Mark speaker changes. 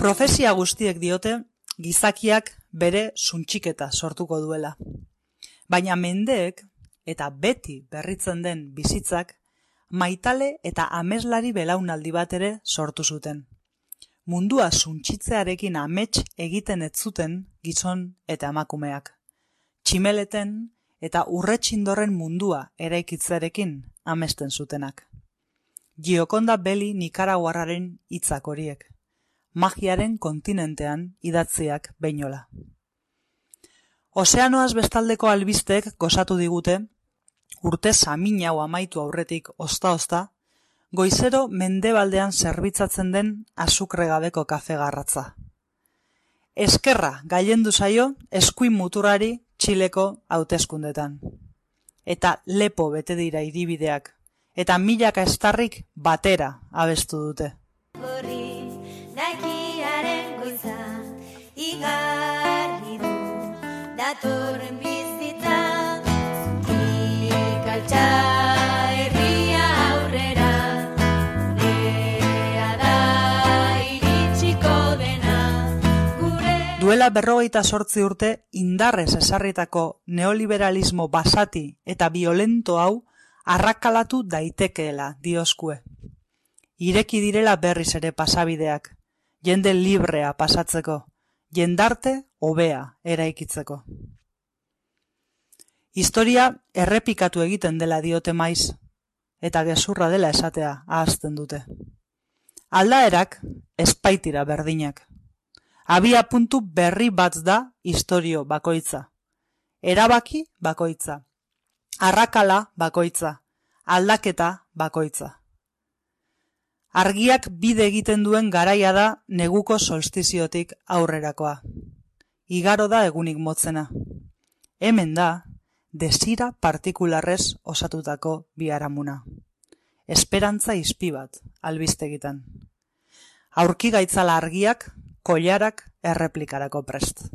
Speaker 1: Profezia guztiek diote gizakiak bere suntxiketa sortuko duela. Baina mendeek eta beti berritzen den bizitzak maitale eta ameslari belaunaldi bat ere sortu zuten. Mundua suntxitzearekin amets egiten ez zuten gizon eta emakumeak. Tximeleten eta urretxindorren mundua eraikitzearekin amesten zutenak. Giokonda Belli Nikaraguarraren hitzak horiek, magiaren kontinentean idatziak beinola. Ozeanoaz bestaldeko albisteek gozatu digute, urte samin hau amaitu aurretik ozta-ozta, goizero mendebaldean zerbitzatzen den azukregabeko kafe garratza. Eskerra gailendu zaio eskuin muturrari Txileko hauteskundetan. Eta lepo bete dira hiribideak, eta milaka estarrik batera abestu dute.
Speaker 2: Horri nakiaren goiza igarri du datorren bizitza ikaltza herria aurrera gurea da iritsiko dena gure.
Speaker 1: Duela 58 urte indarrez esarritako neoliberalismo basati eta violento hau arrakalatu daitekeela dioskue. Ireki direla berriz ere pasabideak, jende librea pasatzeko, jendarte hobea eraikitzeko. Historia errepikatu egiten dela diote maiz, eta gezurra dela esatea ahazten dute. Aldaerak espaitira berdinak. Abia puntu berri bat da istorio bakoitza. Erabaki bakoitza. Arrakala bakoitza. Aldaketa bakoitza. Argiak bide egiten duen garaia da neguko solstiziotik aurrerakoa. Igaro da egunik motzena. Hemen da, desira partikularrez osatutako biharamuna. Esperantza izpi bat, albistegitan. Aurki gaitzala argiak, koilarak erreplikarako prest.